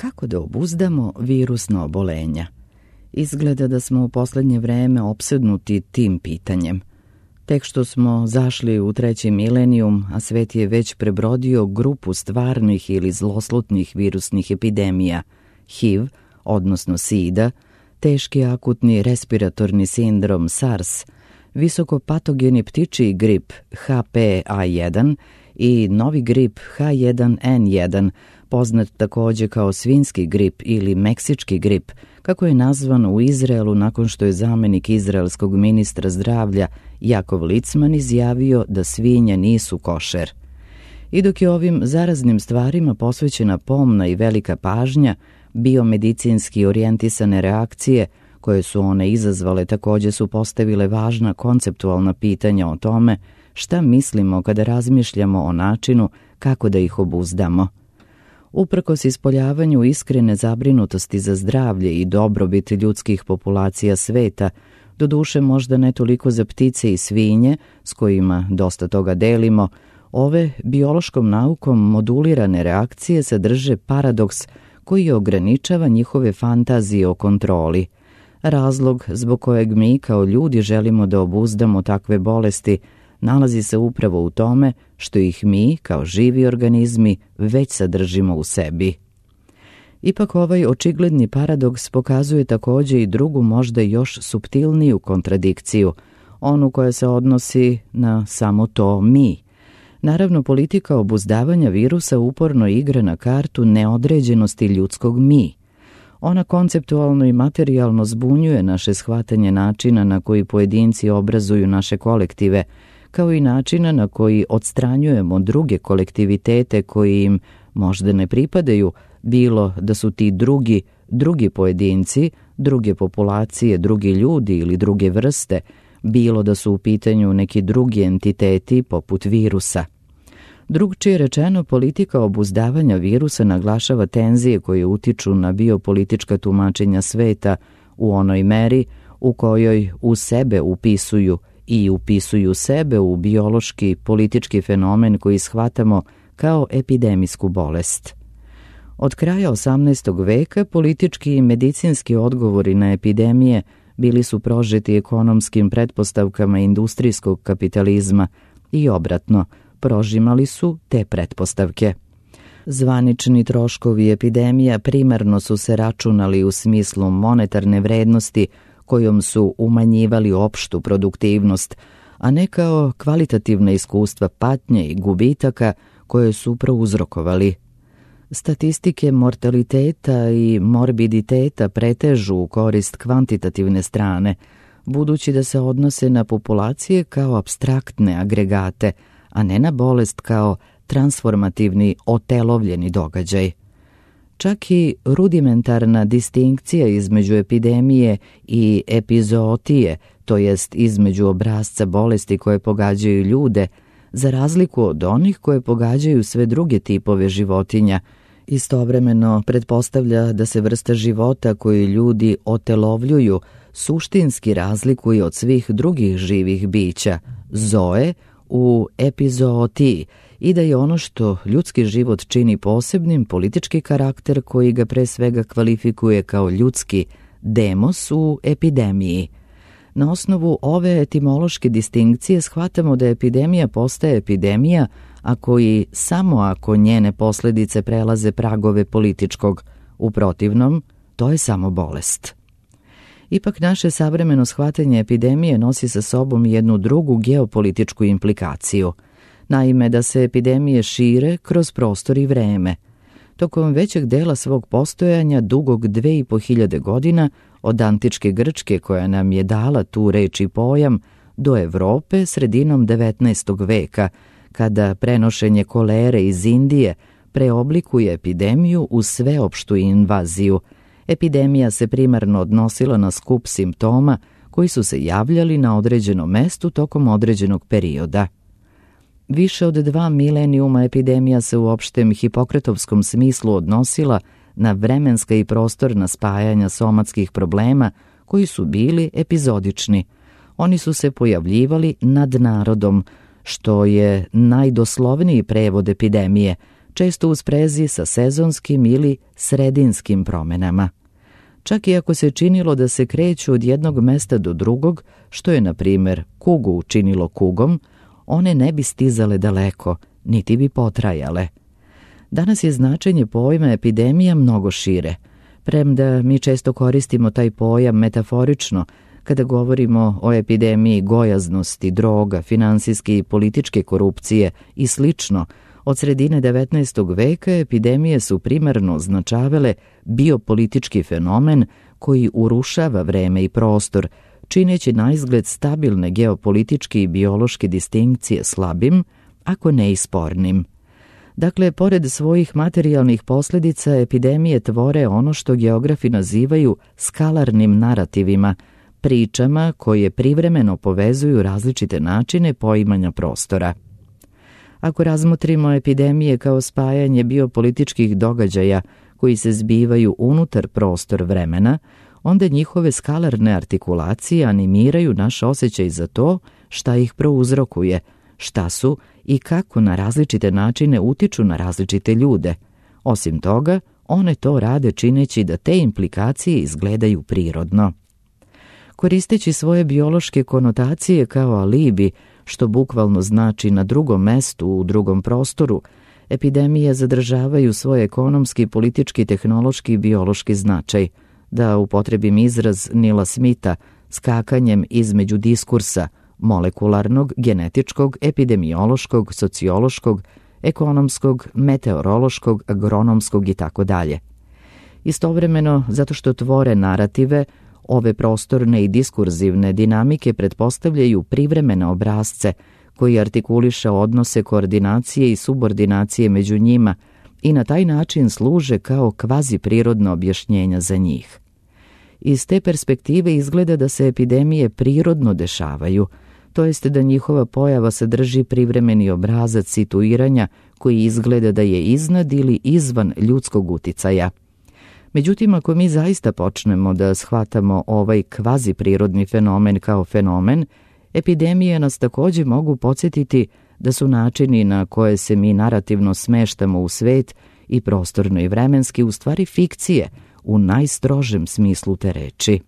Kako da obuzdamo virusna obolenja? Izgleda da smo u posljednje vreme opsednuti tim pitanjem. Tek što smo zašli u 3. milenijum, a svet je već prebrodio grupu stvarnih ili zloslutnih virusnih epidemija, HIV, odnosno SIDA, teški akutni respiratorni sindrom SARS, visokopatogeni ptičji grip HPA1 i novi grip H1N1, poznat također kao svinjski grip ili meksički grip, kako je nazvan u Izraelu nakon što je zamjenik izraelskog ministra zdravlja Jakov Licman izjavio da svinje nisu košer. I dok je ovim zaraznim stvarima posvećena pomna i velika pažnja, biomedicinski orijentisane reakcije koje su one izazvale također su postavile važna konceptualna pitanja o tome šta mislimo kada razmišljamo o načinu kako da ih obuzdamo. Uprkos ispoljavanju iskrene zabrinutosti za zdravlje i dobrobit ljudskih populacija sveta, doduše možda ne toliko za ptice i svinje, s kojima dosta toga delimo, ove biološkom naukom modulirane reakcije sadrže paradoks koji ograničava njihove fantazije o kontroli. Razlog zbog kojeg mi kao ljudi želimo da obuzdamo takve bolesti nalazi se upravo u tome što ih mi, kao živi organizmi, već sadržimo u sebi. Ipak ovaj očigledni paradoks pokazuje također i drugu, možda još suptilniju kontradikciju, onu koja se odnosi na samo to mi. Naravno, politika obuzdavanja virusa uporno igra na kartu neodređenosti ljudskog mi. Ona konceptualno i materijalno zbunjuje naše shvatanje načina na koji pojedinci obrazuju naše kolektive, kao i načina na koji odstranjujemo druge kolektivitete koji im možda ne pripadaju, bilo da su ti drugi pojedinci, druge populacije, drugi ljudi ili druge vrste, bilo da su u pitanju neki drugi entiteti poput virusa. Drugčije rečeno, politika obuzdavanja virusa naglašava tenzije koje utiču na biopolitička tumačenja sveta u onoj meri u kojoj u sebe upisuju sebe u biološki, politički fenomen koji shvatamo kao epidemijsku bolest. Od kraja 18. veka politički i medicinski odgovori na epidemije bili su prožeti ekonomskim pretpostavkama industrijskog kapitalizma i obratno, prožimali su te pretpostavke. Zvanični troškovi epidemija primarno su se računali u smislu monetarne vrednosti kojom su umanjivali opštu produktivnost, a ne kao kvalitativna iskustva patnje i gubitaka koje su prouzrokovali. Statistike mortaliteta i morbiditeta pretežu u korist kvantitativne strane, budući da se odnose na populacije kao apstraktne agregate, a ne na bolest kao transformativni otelovljeni događaj. Čak i rudimentarna distinkcija između epidemije i epizootije, to jest između obrasca bolesti koje pogađaju ljude, za razliku od onih koje pogađaju sve druge tipove životinja, istovremeno pretpostavlja da se vrsta života koju ljudi otelovljuju suštinski razlikuje od svih drugih živih bića, zoe, u epizootiji, i da je ono što ljudski život čini posebnim politički karakter koji ga pre svega kvalifikuje kao ljudski, demos u epidemiji. Na osnovu ove etimološke distinkcije shvatamo da epidemija postaje epidemija samo ako njene posljedice prelaze pragove političkog, u protivnom to je samo bolest. Ipak naše savremeno shvatanje epidemije nosi sa sobom jednu drugu geopolitičku implikaciju. Naime, da se epidemije šire kroz prostor i vreme. Tokom većeg dela svog postojanja, dugog 2500 godina, od antičke Grčke koja nam je dala tu reč i pojam, do Evrope sredinom 19. veka, kada prenošenje kolere iz Indije preoblikuje epidemiju u sveopštu invaziju. Epidemija se primarno odnosila na skup simptoma koji su se javljali na određenom mestu tokom određenog perioda. Više od 2 milenijuma epidemija se u opštem hipokratovskom smislu odnosila na vremenska i prostorna spajanja somatskih problema koji su bili epizodični. Oni su se pojavljivali nad narodom, što je najdoslovniji prevod epidemije, često u sprezi sa sezonskim ili sredinskim promenama. Čak i ako se činilo da se kreću od jednog mesta do drugog, što je, na primjer, kugu učinilo kugom, one ne bi stizale daleko, niti bi potrajale. Danas je značenje pojma epidemija mnogo šire, premda mi često koristimo taj pojam metaforično kada govorimo o epidemiji gojaznosti, droga, finansijske i političke korupcije i slično. Od sredine 19. veka epidemije su primarno označavale biopolitički fenomen koji urušava vreme i prostor, čineći naizgled stabilne geopolitičke i biološke distinkcije slabim, ako ne i spornim. Dakle, pored svojih materijalnih posljedica, epidemije tvore ono što geografi nazivaju skalarnim narativima, pričama koje privremeno povezuju različite načine poimanja prostora. Ako razmotrimo epidemije kao spajanje biopolitičkih događaja koji se zbivaju unutar prostor vremena, onda njihove skalarne artikulacije animiraju naš osjećaj za to šta ih prouzrokuje, šta su i kako na različite načine utiču na različite ljude. Osim toga, one to rade čineći da te implikacije izgledaju prirodno. Koristeći svoje biološke konotacije kao alibi, što bukvalno znači na drugom mestu, u drugom prostoru, epidemije zadržavaju svoj ekonomski, politički, tehnološki i biološki značaj, da upotrebim izraz Nila Smitha, skakanjem između diskursa molekularnog, genetičkog, epidemiološkog, sociološkog, ekonomskog, meteorološkog, agronomskog itd. Istovremeno, zato što tvore narative, ove prostorne i diskurzivne dinamike pretpostavljaju privremene obrasce koji artikuliše odnose koordinacije i subordinacije među njima i na taj način služe kao kvazi prirodno objašnjenja za njih. Iz te perspektive izgleda da se epidemije prirodno dešavaju, to jest da njihova pojava sadrži privremeni obrazac situiranja koji izgleda da je iznad ili izvan ljudskog uticaja. Međutim, ako mi zaista počnemo da shvatamo ovaj kvazi prirodni fenomen kao fenomen, epidemije nas također mogu podsjetiti da su načini na koje se mi narativno smeštamo u svet i prostorno i vremenski u stvari fikcije u najstrožem smislu te reči.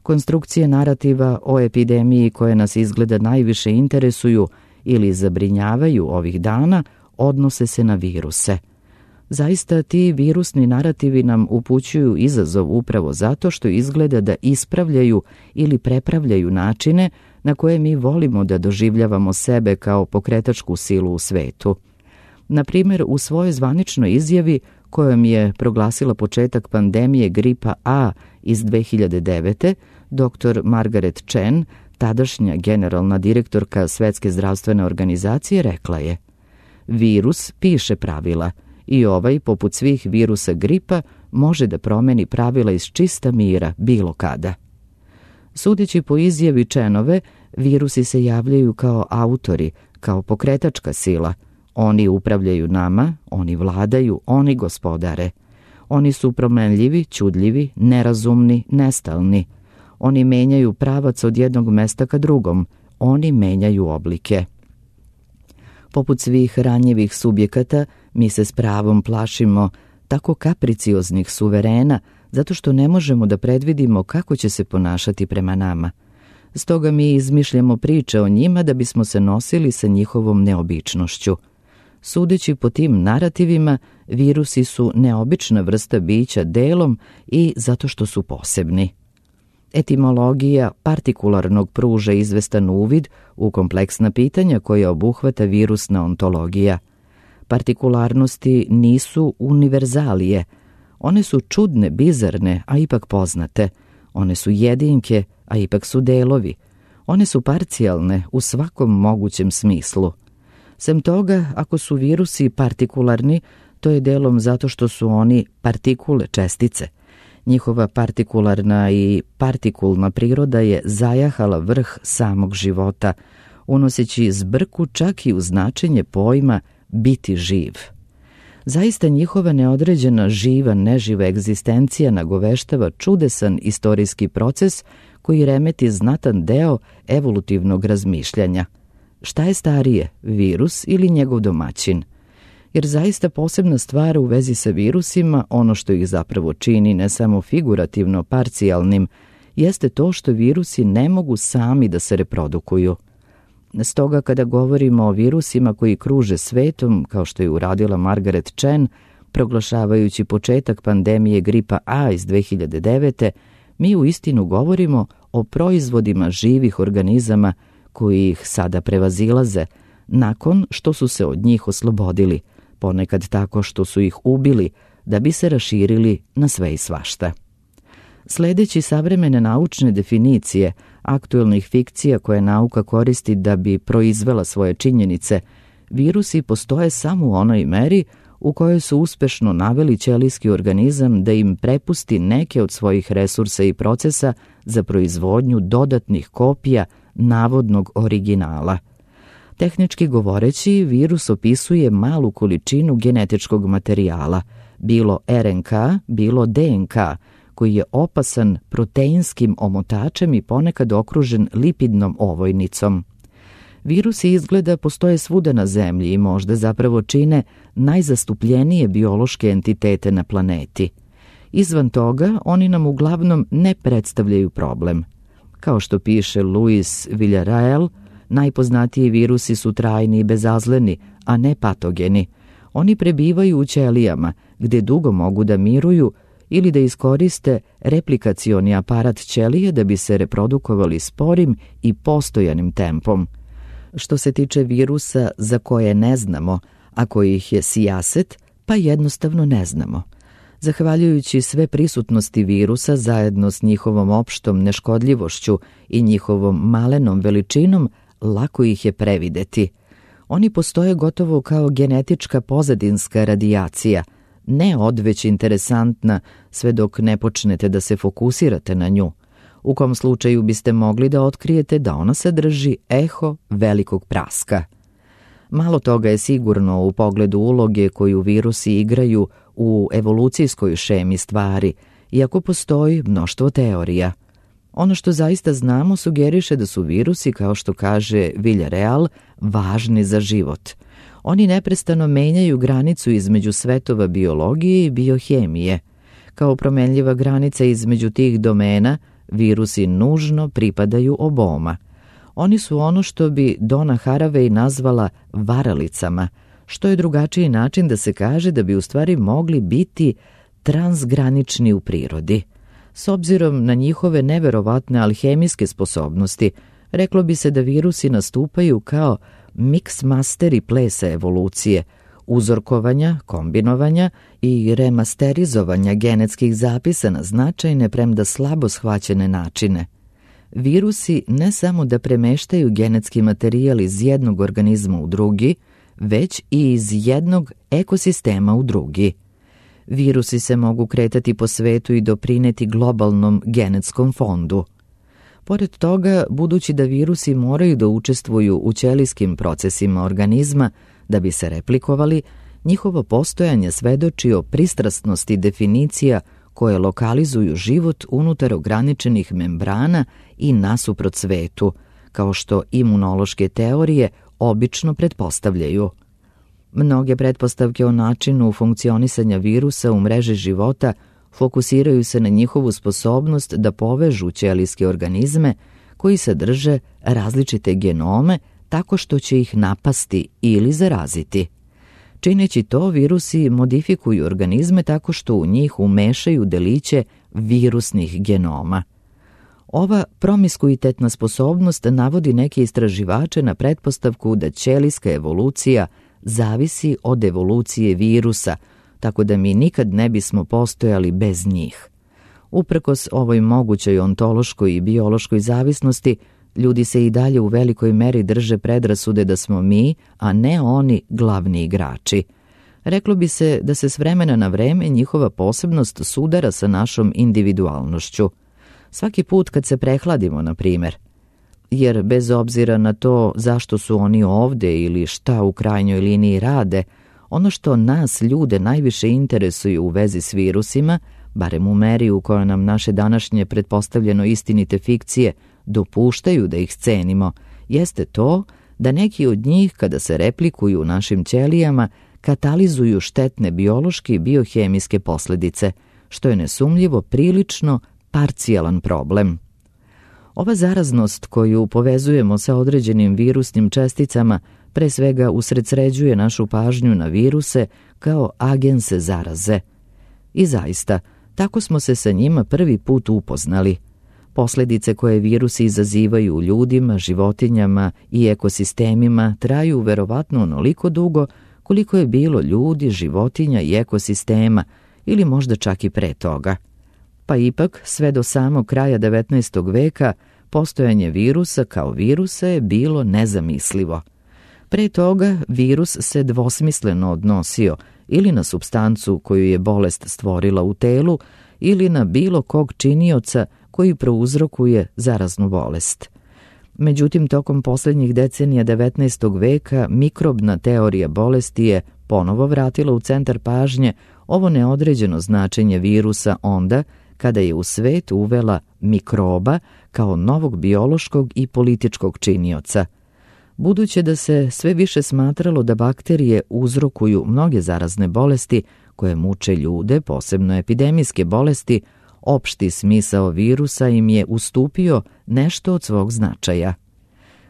Konstrukcije narativa o epidemiji koje nas izgleda najviše interesuju ili zabrinjavaju ovih dana odnose se na viruse. Zaista ti virusni narativi nam upućuju izazov upravo zato što izgleda da ispravljaju ili prepravljaju načine na koje mi volimo da doživljavamo sebe kao pokretačku silu u svetu. Na primjer, u svojoj zvaničnoj izjavi kojom je proglasila početak pandemije gripa A iz 2009. dr. Margaret Chan, tadašnja generalna direktorka Svetske zdravstvene organizacije, rekla je: virus piše pravila i ovaj, poput svih virusa gripa, može da promeni pravila iz čista mira bilo kada. Sudeći po izjavi Chanove, virusi se javljaju kao autori, kao pokretačka sila. Oni upravljaju nama, oni vladaju, oni gospodare. Oni su promenljivi, čudljivi, nerazumni, nestalni. Oni menjaju pravac od jednog mesta ka drugom. Oni menjaju oblike. Poput svih ranjivih subjekata, mi se s pravom plašimo tako kapricioznih suverena, zato što ne možemo da predvidimo kako će se ponašati prema nama. Stoga mi izmišljamo priče o njima da bismo se nosili sa njihovom neobičnošću. Sudeći po tim narativima, virusi su neobična vrsta bića delom i zato što su posebni. Etimologija partikularnog pruža izvestan uvid u kompleksna pitanja koja obuhvata virusna ontologija. Partikularnosti nisu univerzalije. One su čudne, bizarne, a ipak poznate. One su jedinke, a ipak su delovi. One su parcijalne u svakom mogućem smislu. Sem toga, ako su virusi partikularni, to je delom zato što su oni partikule, čestice. Njihova partikularna i partikulna priroda je zajahala vrh samog života, unoseći zbrku čak i u značenje pojma biti živ. Zaista njihova neodređena živa, neživa egzistencija nagoveštava čudesan istorijski proces koji remeti znatan deo evolutivnog razmišljanja. Šta je starije, virus ili njegov domaćin? jer zaista posebna stvar u vezi sa virusima, ono što ih zapravo čini ne samo figurativno parcijalnim, jeste to što virusi ne mogu sami da se reprodukuju. Stoga kada govorimo o virusima koji kruže svetom, kao što je uradila Margaret Chan, proglašavajući početak pandemije gripa A iz 2009. mi uistinu govorimo o proizvodima živih organizama koji ih sada prevazilaze, nakon što su se od njih oslobodili, ponekad tako što su ih ubili, da bi se raširili na sve i svašta. Sledeći savremene naučne definicije aktuelnih fikcija koje nauka koristi da bi proizvela svoje činjenice, virusi postoje samo u onoj meri u kojoj su uspešno naveli ćelijski organizam da im prepusti neke od svojih resursa i procesa za proizvodnju dodatnih kopija navodnog originala. Tehnički govoreći, virus opisuje malu količinu genetičkog materijala, bilo RNK, bilo DNK, koji je opasan proteinskim omotačem i ponekad okružen lipidnom ovojnicom. Virusi izgleda postoje svuda na zemlji i možda zapravo čine najzastupljenije biološke entitete na planeti. Izvan toga, oni nam uglavnom ne predstavljaju problem. Kao što piše Luis Villarreal, najpoznatiji virusi su trajni i bezazleni, a ne patogeni. Oni prebivaju u ćelijama, gde dugo mogu da miruju ili da iskoriste replikacioni aparat ćelije da bi se reprodukovali sporim i postojanim tempom. Što se tiče virusa za koje ne znamo, a kojih je sijaset, pa jednostavno ne znamo. Zahvaljujući sve prisutnosti virusa zajedno s njihovom opštom neškodljivošću i njihovom malenom veličinom, lako ih je prevideti. Oni postoje gotovo kao genetička pozadinska radijacija, ne odveć interesantna sve dok ne počnete da se fokusirate na nju, u kom slučaju biste mogli da otkrijete da ona sadrži eho velikog praska. Malo toga je sigurno u pogledu uloge koju virusi igraju u evolucijskoj šemi stvari, iako postoji mnoštvo teorija. Ono što zaista znamo sugeriše da su virusi, kao što kaže Villarreal, važni za život. Oni neprestano menjaju granicu između svetova biologije i biohemije. Kao promenljiva granica između tih domena, virusi nužno pripadaju oboma. Oni su ono što bi Donna Haraway nazvala varalicama, što je drugačiji način da se kaže da bi u stvari mogli biti transgranični u prirodi. S obzirom na njihove neverovatne alhemijske sposobnosti, reklo bi se da virusi nastupaju kao mix masteri plesa evolucije, uzorkovanja, kombinovanja i remasterizovanja genetskih zapisa na značajne, premda slabo shvaćene načine. Virusi ne samo da premeštaju genetski materijal iz jednog organizma u drugi, već i iz jednog ekosistema u drugi. Virusi se mogu kretati po svetu i doprineti globalnom genetskom fondu. Pored toga, budući da virusi moraju da učestvuju u ćelijskim procesima organizma da bi se replikovali, njihovo postojanje svedoči o pristrasnosti definicija koje lokalizuju život unutar ograničenih membrana i nasuprot svetu, kao što imunološke teorije obično pretpostavljaju. Mnoge pretpostavke o načinu funkcionisanja virusa u mreži života fokusiraju se na njihovu sposobnost da povežu ćelijske organizme koji sadrže različite genome tako što će ih napasti ili zaraziti. Čineći to, virusi modifikuju organizme tako što u njih umešaju deliće virusnih genoma. Ova promiskuitetna sposobnost navodi neke istraživače na pretpostavku da ćelijska evolucija zavisi od evolucije virusa, tako da mi nikad ne bismo postojali bez njih. Uprkos ovoj mogućoj ontološkoj i biološkoj zavisnosti, ljudi se i dalje u velikoj meri drže predrasude da smo mi, a ne oni, glavni igrači. Reklo bi se da se s vremena na vreme njihova posebnost sudara sa našom individualnošću. Svaki put kad se prehladimo, na primjer. Jer bez obzira na to zašto su oni ovde ili šta u krajnjoj liniji rade, ono što nas ljude najviše interesuje u vezi s virusima, barem u meri u kojoj nam naše današnje pretpostavljeno istinite fikcije dopuštaju da ih cenimo, jeste to da neki od njih kada se replikuju u našim ćelijama katalizuju štetne biološke i biohemijske posljedice, što je nesumnjivo prilično parcijalan problem. Ova zaraznost koju povezujemo sa određenim virusnim česticama pre svega usredsređuje našu pažnju na viruse kao agense zaraze. I zaista, tako smo se sa njima prvi put upoznali. Posljedice koje virusi izazivaju u ljudima, životinjama i ekosistemima traju verovatno onoliko dugo koliko je bilo ljudi, životinja i ekosistema, ili možda čak i pre toga. Pa ipak, sve do samog kraja 19. veka, postojanje virusa kao virusa je bilo nezamislivo. Pre toga, virus se dvosmisleno odnosio ili na supstancu koju je bolest stvorila u telu ili na bilo kog činioca koji prouzrokuje zaraznu bolest. Međutim, tokom posljednjih decenija 19. veka mikrobna teorija bolesti je ponovo vratila u centar pažnje ovo neodređeno značenje virusa onda kada je u svet uvela mikroba kao novog biološkog i političkog činioca. Budući da se sve više smatralo da bakterije uzrokuju mnoge zarazne bolesti koje muče ljude, posebno epidemijske bolesti, opšti smisao virusa im je ustupio nešto od svog značaja.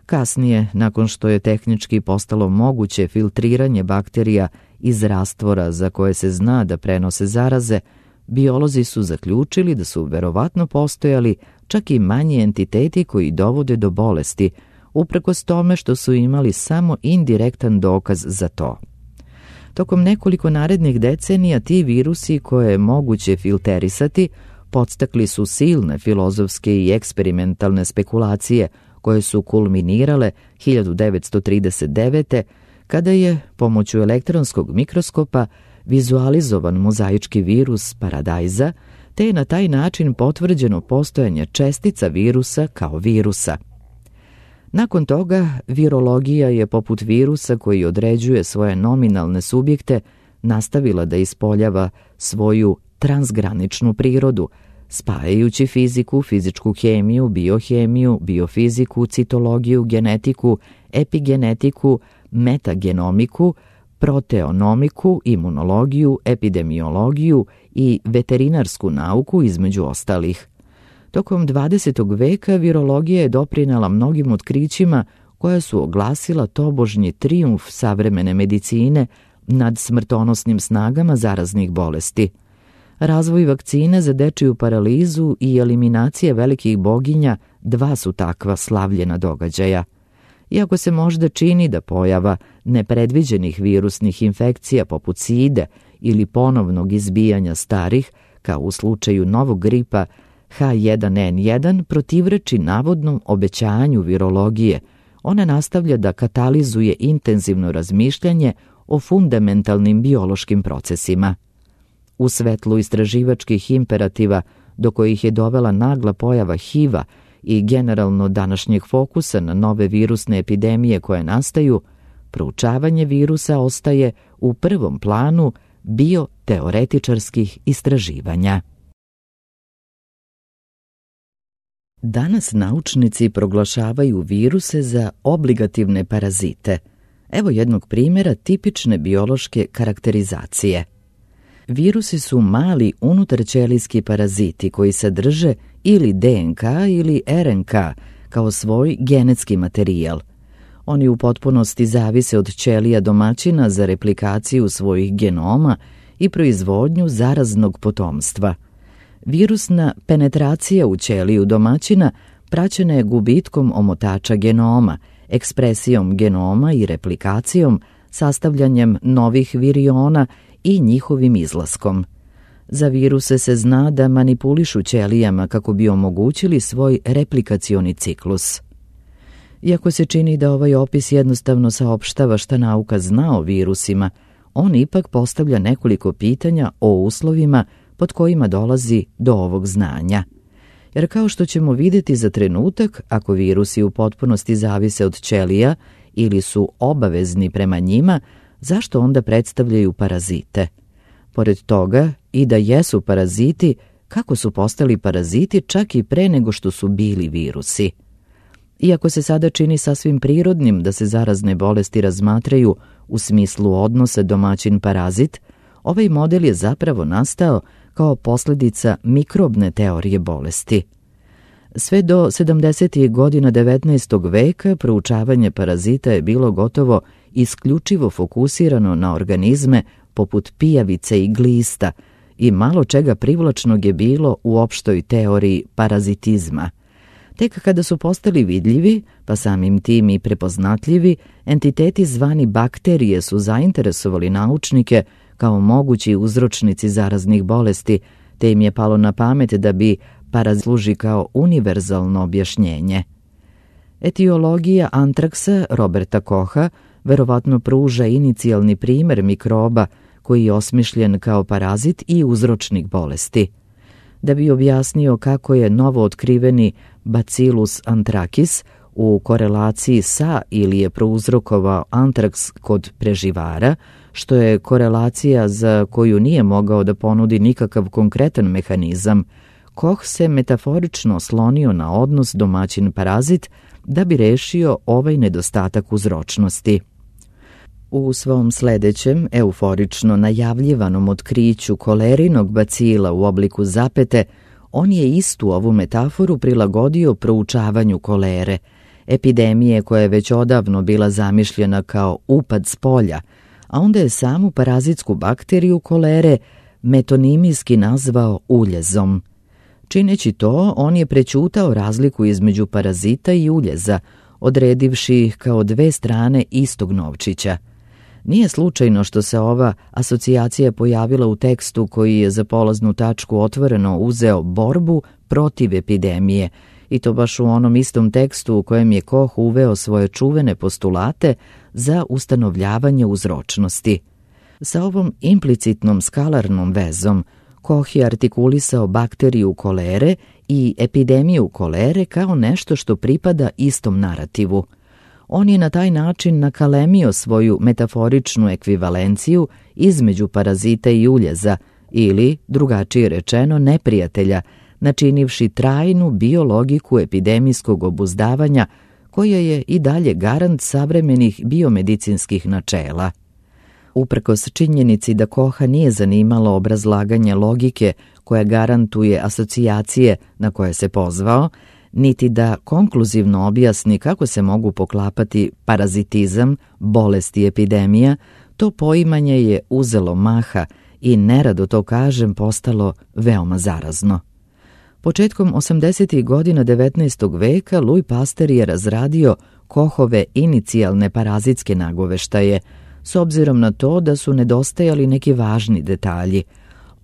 Kasnije, nakon što je tehnički postalo moguće filtriranje bakterija iz rastvora za koje se zna da prenose zaraze, biolozi su zaključili da su verovatno postojali čak i manji entiteti koji dovode do bolesti, uprkos tome što su imali samo indirektan dokaz za to. Tokom nekoliko narednih decenija ti virusi koje je moguće filterisati podstakli su silne filozofske i eksperimentalne spekulacije koje su kulminirale 1939. kada je pomoću elektronskog mikroskopa vizualizovan mozaički virus paradajza, te je na taj način potvrđeno postojanje čestica virusa kao virusa. Nakon toga, virologija je poput virusa koji određuje svoje nominalne subjekte nastavila da ispoljava svoju transgraničnu prirodu, spajajući fiziku, fizičku hemiju, biohemiju, biofiziku, citologiju, genetiku, epigenetiku, metagenomiku, proteonomiku, imunologiju, epidemiologiju i veterinarsku nauku između ostalih. Tokom 20. veka virologija je doprinela mnogim otkrićima koja su oglasila tobožnji trijumf savremene medicine nad smrtonosnim snagama zaraznih bolesti. Razvoj vakcine za dečiju paralizu i eliminacije velikih boginja dva su takva slavljena događaja. Iako se možda čini da pojava nepredviđenih virusnih infekcija poput side ili ponovnog izbijanja starih, kao u slučaju novog gripa H1N1, protivreči navodnom obećanju virologije, ona nastavlja da katalizuje intenzivno razmišljanje o fundamentalnim biološkim procesima. U svetlu istraživačkih imperativa do kojih je dovela nagla pojava HIV-a i generalno današnjeg fokusa na nove virusne epidemije koje nastaju, proučavanje virusa ostaje u prvom planu bioteoretičarskih istraživanja. Danas naučnici proglašavaju viruse za obligativne parazite. Evo jednog primjera tipične biološke karakterizacije. Virusi su mali unutarćelijski paraziti koji sadrže ili DNK ili RNK kao svoj genetski materijal. Oni u potpunosti zavise od ćelija domaćina za replikaciju svojih genoma i proizvodnju zaraznog potomstva. Virusna penetracija u ćeliju domaćina praćena je gubitkom omotača genoma, ekspresijom genoma i replikacijom, sastavljanjem novih viriona i njihovim izlaskom. Za viruse se zna da manipulišu ćelijama kako bi omogućili svoj replikacioni ciklus. Iako se čini da ovaj opis jednostavno saopštava šta nauka zna o virusima, on ipak postavlja nekoliko pitanja o uslovima pod kojima dolazi do ovog znanja. Jer kao što ćemo vidjeti za trenutak, ako virusi u potpunosti zavise od ćelija ili su obavezni prema njima, zašto onda predstavljaju parazite? Pored toga, i da jesu paraziti, kako su postali paraziti čak i pre nego što su bili virusi? Iako se sada čini sasvim prirodnim da se zarazne bolesti razmatraju u smislu odnosa domaćin-parazit, ovaj model je zapravo nastao kao posljedica mikrobne teorije bolesti. Sve do 70. godina 19. veka proučavanje parazita je bilo gotovo isključivo fokusirano na organizme poput pijavice i glista i malo čega privlačnog je bilo u opštoj teoriji parazitizma. Tek kada su postali vidljivi, pa samim tim i prepoznatljivi, entiteti zvani bakterije su zainteresovali naučnike kao mogući uzročnici zaraznih bolesti, te im je palo na pamet da bi parazit služi kao univerzalno objašnjenje. Etiologija antraksa Roberta Kocha verovatno pruža inicijalni primer mikroba koji je osmišljen kao parazit i uzročnik bolesti. Da bi objasnio kako je novo otkriveni Bacillus anthracis u korelaciji sa ili je prouzrokovao antraks kod preživara, što je korelacija za koju nije mogao da ponudi nikakav konkretan mehanizam, Koch se metaforično oslonio na odnos domaćin-parazit da bi rešio ovaj nedostatak uzročnosti. U svom sledećem, euforično najavljivanom otkriću kolerinog bacila u obliku zapete, on je istu ovu metaforu prilagodio proučavanju kolere, epidemije koja je već odavno bila zamišljena kao upad s polja, a onda je samu parazitsku bakteriju kolere metonimijski nazvao uljezom. Čineći to, on je prećutao razliku između parazita i uljeza, odredivši ih kao dve strane istog novčića. Nije slučajno što se ova asocijacija pojavila u tekstu koji je za polaznu tačku otvoreno uzeo borbu protiv epidemije, i to baš u onom istom tekstu u kojem je Koch uveo svoje čuvene postulate za ustanovljavanje uzročnosti. Sa ovom implicitnom skalarnom vezom Koch je artikulisao bakteriju kolere i epidemiju kolere kao nešto što pripada istom narativu. On je na taj način nakalemio svoju metaforičnu ekvivalenciju između parazita i uljeza ili, drugačije rečeno, neprijatelja, načinivši trajnu biologiku epidemijskog obuzdavanja koja je i dalje garant savremenih biomedicinskih načela. Uprkos činjenici da Kocha nije zanimalo obrazlaganje logike koja garantuje asocijacije na koje se pozvao, niti da konkluzivno objasni kako se mogu poklapati parazitizam, bolest i epidemija, to poimanje je uzelo maha i, nerado to kažem, postalo veoma zarazno. Početkom 80. godina 19. veka Louis Pasteur je razradio Kochove inicijalne parazitske nagoveštaje, s obzirom na to da su nedostajali neki važni detalji.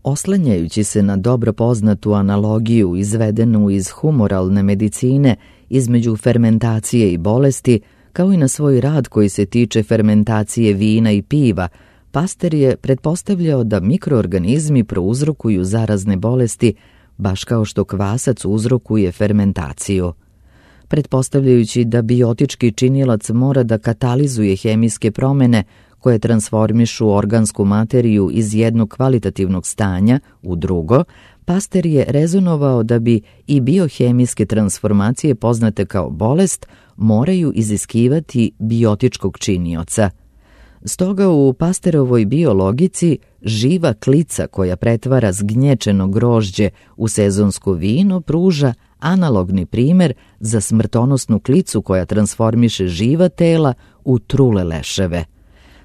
Oslanjajući se na dobro poznatu analogiju izvedenu iz humoralne medicine između fermentacije i bolesti, kao i na svoj rad koji se tiče fermentacije vina i piva, Pasteur je pretpostavljao da mikroorganizmi prouzrokuju zarazne bolesti, baš kao što kvasac uzrokuje fermentaciju. Pretpostavljajući da biotički činilac mora da katalizuje hemijske promene koje transformišu organsku materiju iz jednog kvalitativnog stanja u drugo, Pasteur je rezonovao da bi i biohemijske transformacije poznate kao bolest moraju iziskivati biotičkog činioca. Stoga u Pasteurovoj biologici živa klica koja pretvara zgnječeno grožđe u sezonsko vino pruža analogni primer za smrtonosnu klicu koja transformiše živa tela u trule leševe.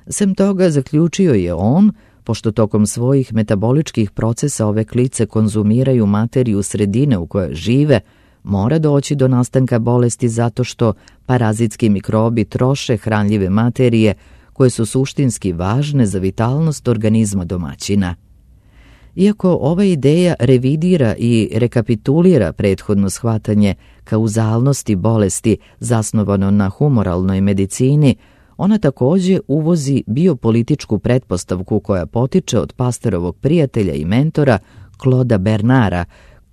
Sem toga, zaključio je on, pošto tokom svojih metaboličkih procesa ove klice konzumiraju materiju sredine u kojoj žive, mora doći do nastanka bolesti zato što parazitski mikrobi troše hranljive materije koje su suštinski važne za vitalnost organizma domaćina. Iako ova ideja revidira i rekapitulira prethodno shvatanje kauzalnosti bolesti zasnovano na humoralnoj medicini, ona takođe uvozi biopolitičku pretpostavku koja potiče od Pasteurovog prijatelja i mentora Clauda Bernara,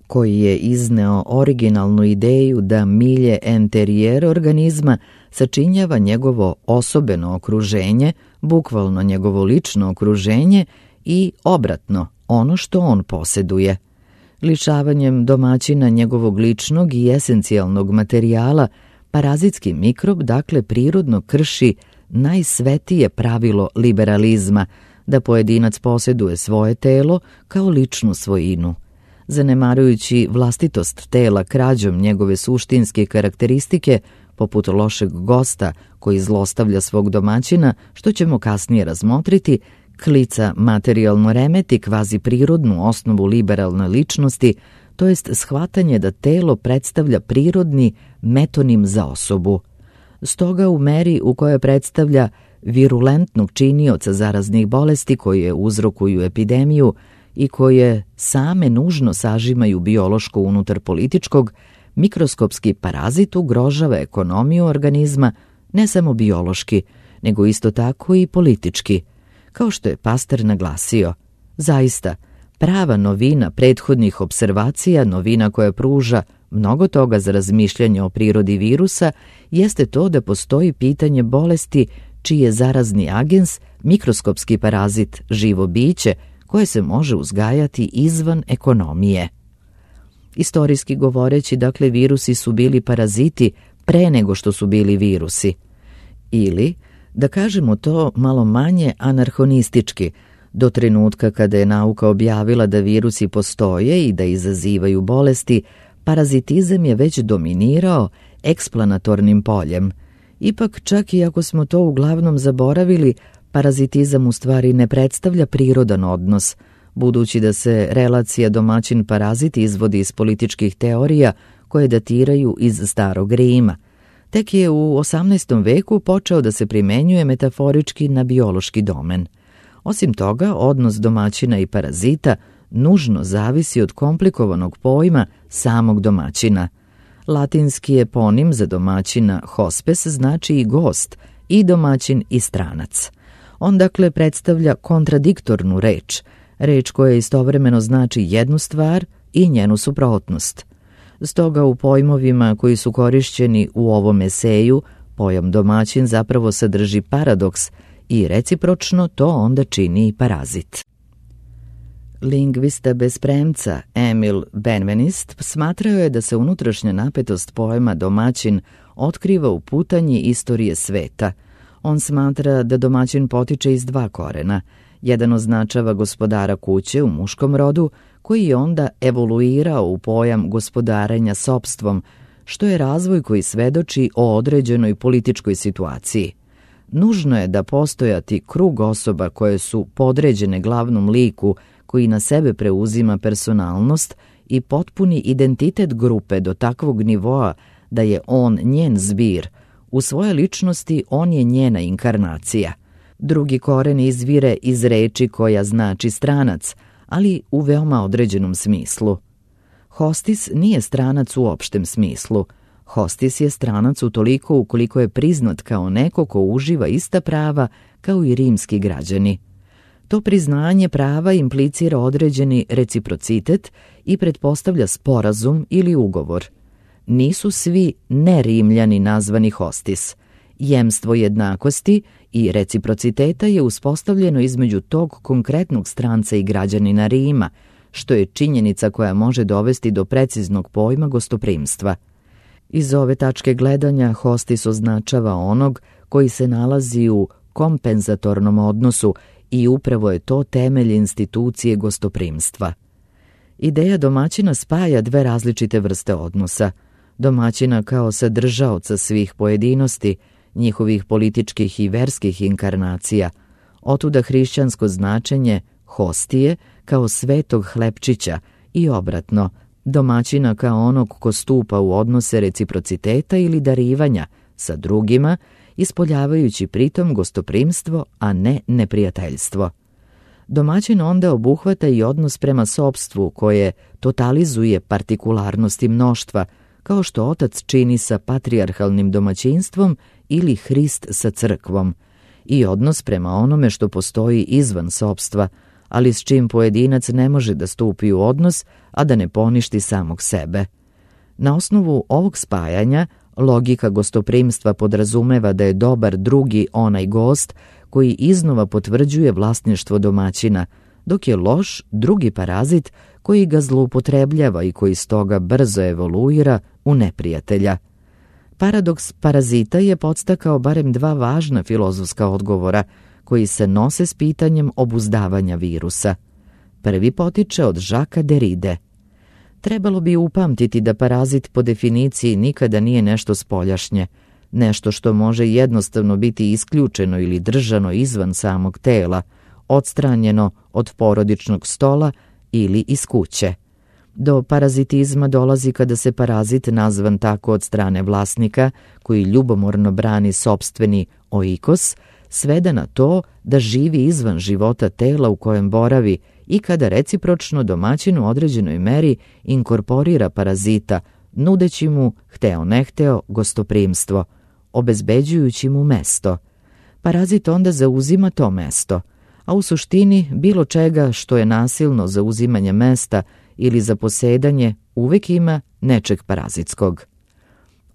koji je izneo originalnu ideju da milje interijer organizma sačinjava njegovo osobeno okruženje, bukvalno njegovo lično okruženje, i obratno, ono što on poseduje. Lišavanjem domaćina njegovog ličnog i esencijalnog materijala, parazitski mikrob dakle prirodno krši najsvetije pravilo liberalizma, da pojedinac posjeduje svoje telo kao ličnu svojinu. Zanemarujući vlastitost tela krađom njegove suštinske karakteristike, poput lošeg gosta koji zlostavlja svog domaćina, što ćemo kasnije razmotriti, Klica materijalno remeti kvazi prirodnu osnovu liberalne ličnosti, to jest shvatanje da telo predstavlja prirodni metonim za osobu. Stoga u meri u kojoj predstavlja virulentnog činioca zaraznih bolesti koje uzrokuju epidemiju i koje same nužno sažimaju biološko unutar političkog, mikroskopski parazit ugrožava ekonomiju organizma ne samo biološki, nego isto tako i politički. Kao što je Pasteur naglasio, zaista, prava novina prethodnih observacija, novina koja pruža mnogo toga za razmišljanje o prirodi virusa, jeste to da postoji pitanje bolesti čiji je zarazni agens mikroskopski parazit, živo biće koje se može uzgajati izvan ekonomije. Istorijski govoreći, dakle, virusi su bili paraziti pre nego što su bili virusi. Ili, da kažemo to malo manje anarhonistički, do trenutka kada je nauka objavila da virusi postoje i da izazivaju bolesti, parazitizam je već dominirao eksplanatornim poljem. Ipak, čak i ako smo to uglavnom zaboravili, parazitizam u stvari ne predstavlja prirodan odnos, budući da se relacija domaćin-parazit izvodi iz političkih teorija koje datiraju iz Starog Rima. Tek je u 18. veku počeo da se primenjuje metaforički na biološki domen. Osim toga, odnos domaćina i parazita nužno zavisi od komplikovanog pojma samog domaćina. Latinski eponim za domaćina hospes znači i gost, i domaćin i stranac. On dakle predstavlja kontradiktornu reč, reč koja istovremeno znači jednu stvar i njenu suprotnost. Stoga u pojmovima koji su korišćeni u ovom eseju, pojam domaćin zapravo sadrži paradoks i recipročno to onda čini i parazit. Lingvista bez premca Emil Benveniste smatrao je da se unutrašnja napetost pojma domaćin otkriva u putanji istorije sveta. On smatra da domaćin potiče iz dva korena. Jedan označava gospodara kuće u muškom rodu, koji je onda evoluirao u pojam gospodarenja sopstvom, što je razvoj koji svedoči o određenoj političkoj situaciji. Nužno je da postojati krug osoba koje su podređene glavnom liku, koji na sebe preuzima personalnost i potpuni identitet grupe do takvog nivoa da je on njen zbir. U svojoj ličnosti on je njena inkarnacija. Drugi koren izvire iz reči koja znači stranac, ali u veoma određenom smislu. Hostis nije stranac u opštem smislu. Hostis je stranac utoliko ukoliko je priznat kao neko ko uživa ista prava kao i rimski građani. To priznanje prava implicira određeni reciprocitet i pretpostavlja sporazum ili ugovor. Nisu svi nerimljani nazvani hostis. Jemstvo jednakosti i reciprociteta je uspostavljeno između tog konkretnog stranca i građanina Rima, što je činjenica koja može dovesti do preciznog pojma gostoprimstva. Iz ove tačke gledanja hostis označava onog koji se nalazi u kompenzatornom odnosu i upravo je to temelj institucije gostoprimstva. Ideja domaćina spaja dve različite vrste odnosa. Domaćina kao sadržaoca svih pojedinosti, njihovih političkih i verskih inkarnacija, otuda hrišćansko značenje hostije kao svetog hlebčića i obratno, domaćina kao onog ko stupa u odnose reciprociteta ili darivanja sa drugima, ispoljavajući pritom gostoprimstvo, a ne neprijateljstvo. Domaćin onda obuhvata i odnos prema sopstvu koje totalizuje partikularnosti mnoštva, kao što otac čini sa patrijarhalnim domaćinstvom ili Hrist sa crkvom, i odnos prema onome što postoji izvan sopstva, ali s čim pojedinac ne može da stupi u odnos, a da ne poništi samog sebe. Na osnovu ovog spajanja, logika gostoprimstva podrazumeva da je dobar drugi onaj gost koji iznova potvrđuje vlasništvo domaćina, dok je loš drugi parazit koji ga zloupotrebljava i koji stoga brzo evoluira u neprijatelja. Paradoks parazita je podstakao barem dva važna filozofska odgovora koji se nose s pitanjem obuzdavanja virusa. Prvi potiče od Jacquesa Derride. Trebalo bi upamtiti da parazit po definiciji nikada nije nešto spoljašnje, nešto što može jednostavno biti isključeno ili držano izvan samog tela, odstranjeno od porodičnog stola ili iz kuće. Do parazitizma dolazi kada se parazit, nazvan tako od strane vlasnika, koji ljubomorno brani sopstveni oikos, svede na to da živi izvan života tela u kojem boravi i kada recipročno domaćin u određenoj meri inkorporira parazita, nudeći mu, hteo ne hteo, gostoprimstvo, obezbeđujući mu mesto. Parazit onda zauzima to mesto, a u suštini bilo čega što je nasilno zauzimanje mesta ili zaposedanje uvek ima nečeg parazitskog.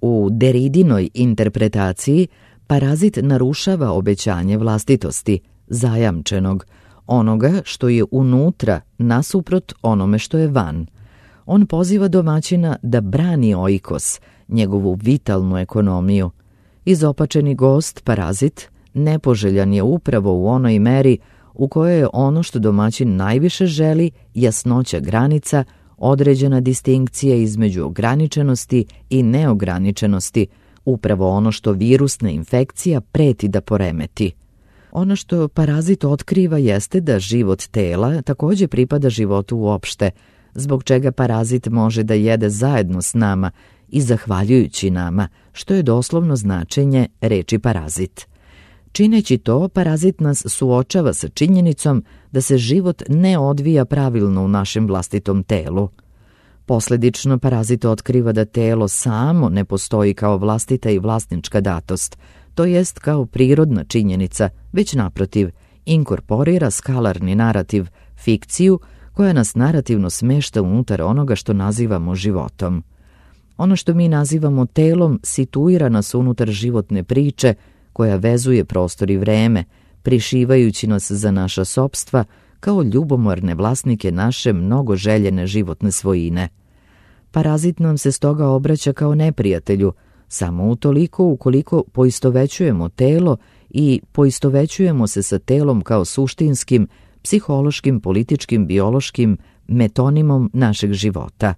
U Derridinoj interpretaciji parazit narušava obećanje vlastitosti, zajamčenog, onoga što je unutra nasuprot onome što je van. On poziva domaćina da brani oikos, njegovu vitalnu ekonomiju. Izopačeni gost, parazit, nepoželjan je upravo u onoj meri u kojoj je ono što domaćin najviše želi, jasnoća granica, određena distinkcija između ograničenosti i neograničenosti, upravo ono što virusna infekcija preti da poremeti. Ono što parazit otkriva jeste da život tela također pripada životu uopšte, zbog čega parazit može da jede zajedno s nama i zahvaljujući nama, što je doslovno značenje reči parazit. Čineći to, parazit nas suočava sa činjenicom da se život ne odvija pravilno u našem vlastitom telu. Posledično, parazit otkriva da telo samo ne postoji kao vlastita i vlasnička datost, to jest kao prirodna činjenica, već naprotiv, inkorporira skalarni narativ, fikciju, koja nas narativno smešta unutar onoga što nazivamo životom. Ono što mi nazivamo telom situira nas unutar životne priče, koja vezuje prostor i vreme, prišivajući nas za naša sopstva kao ljubomorne vlasnike naše mnogo željene životne svojine. Parazit nam se stoga obraća kao neprijatelju, samo utoliko ukoliko poistovećujemo telo i poistovećujemo se sa telom kao suštinskim, psihološkim, političkim, biološkim metonimom našeg života.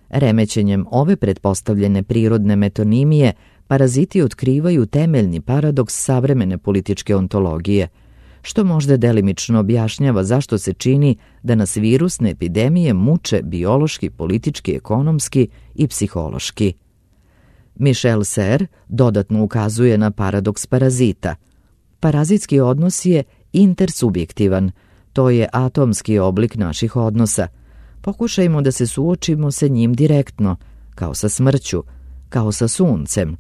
Remećenjem ove pretpostavljene prirodne metonimije, paraziti otkrivaju temeljni paradoks savremene političke ontologije, što možda delimično objašnjava zašto se čini da nas virusne epidemije muče biološki, politički, ekonomski i psihološki. Michel Serres dodatno ukazuje na paradoks parazita. Parazitski odnos je intersubjektivan, to je atomski oblik naših odnosa. Pokušajmo da se suočimo sa njim direktno, kao sa smrću, kao sa suncem.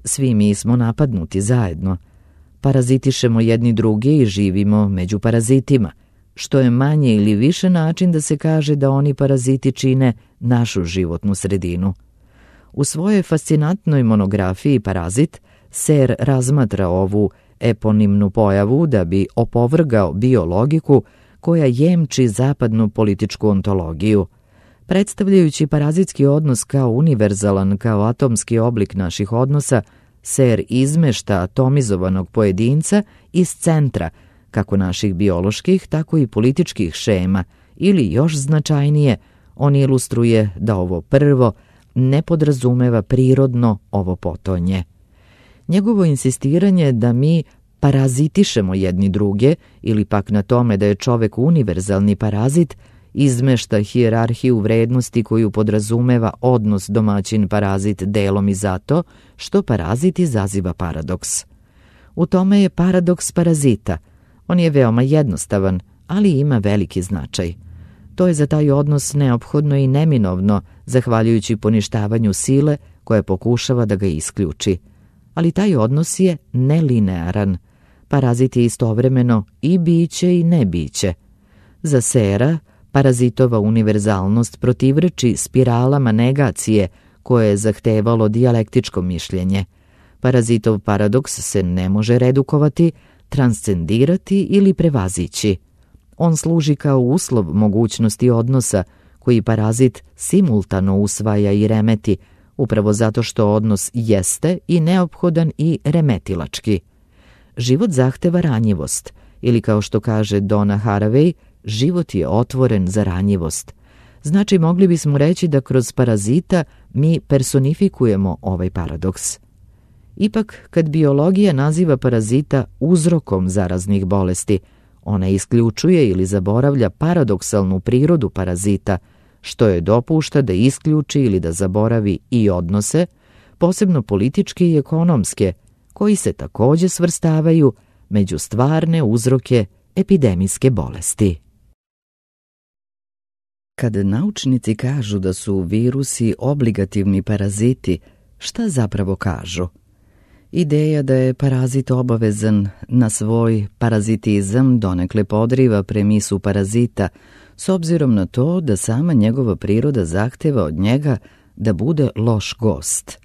Svi mi smo napadnuti zajedno. Parazitišemo jedni druge i živimo među parazitima, što je manje ili više način da se kaže da oni paraziti čine našu životnu sredinu. U svojoj fascinantnoj monografiji Parazit, Serres razmatra ovu eponimnu pojavu da bi opovrgao biologiku koja jemči zapadnu političku ontologiju. Predstavljajući parazitski odnos kao univerzalan, kao atomski oblik naših odnosa, Serres izmešta atomizovanog pojedinca iz centra, kako naših bioloških, tako i političkih šema, ili još značajnije, on ilustruje da ovo prvo ne podrazumeva prirodno ovo potonje. Njegovo insistiranje da mi parazitišemo jedni druge, ili pak na tome da je čovek univerzalni parazit, izmešta hijerarhiju vrednosti koju podrazumeva odnos domaćin-parazit delom i zato što parazit izaziva paradoks. U tome je paradoks parazita. On je veoma jednostavan, ali ima veliki značaj. To je za taj odnos neophodno i neminovno, zahvaljujući poništavanju sile koja pokušava da ga isključi. Ali taj odnos je nelinearan. Parazit je istovremeno i biće i nebiće. Za Serresa, parazitova univerzalnost protivreči spiralama negacije koje je zahtevalo dijalektičko mišljenje. Parazitov paradoks se ne može redukovati, transcendirati ili prevazići. On služi kao uslov mogućnosti odnosa koji parazit simultano usvaja i remeti, upravo zato što odnos jeste i neophodan i remetilački. Život zahteva ranjivost, ili kao što kaže Donna Haraway, život je otvoren za ranjivost. Znači, mogli bismo reći da kroz parazita mi personifikujemo ovaj paradoks. Ipak, kad biologija naziva parazita uzrokom zaraznih bolesti, ona isključuje ili zaboravlja paradoksalnu prirodu parazita, što je dopušta da isključi ili da zaboravi i odnose, posebno političke i ekonomske, koji se takođe svrstavaju među stvarne uzroke epidemijske bolesti. Kad naučnici kažu da su virusi obligativni paraziti, šta zapravo kažu? Ideja da je parazit obavezan na svoj parazitizam donekle podriva premisu parazita, s obzirom na to da sama njegova priroda zahteva od njega da bude loš gost.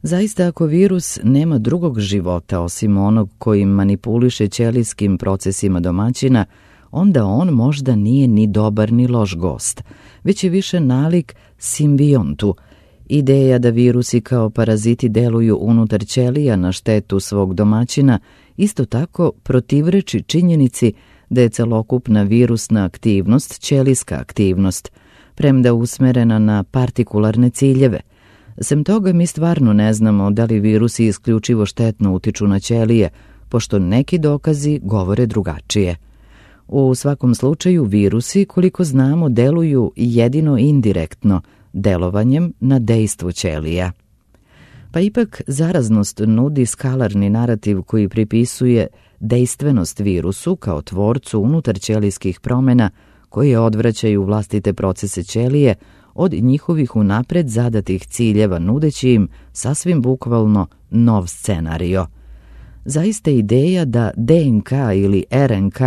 Zaista, ako virus nema drugog života osim onog kojim manipuliše ćelijskim procesima domaćina, onda on možda nije ni dobar ni loš gost, već je više nalik simbiontu. Ideja da virusi kao paraziti deluju unutar ćelija na štetu svog domaćina isto tako protivreči činjenici da je celokupna virusna aktivnost ćelijska aktivnost, premda usmerena na partikularne ciljeve. Sem toga, mi stvarno ne znamo da li virusi isključivo štetno utiču na ćelije, pošto neki dokazi govore drugačije. U svakom slučaju, virusi, koliko znamo, deluju jedino indirektno, delovanjem na dejstvo ćelija. Pa ipak zaraznost nudi skalarni narativ koji pripisuje dejstvenost virusu kao tvorcu unutar ćelijskih promena koje odvraćaju vlastite procese ćelije od njihovih unapred zadatih ciljeva, nudeći im sasvim bukvalno nov scenario. Zaista ideja da DNK ili RNK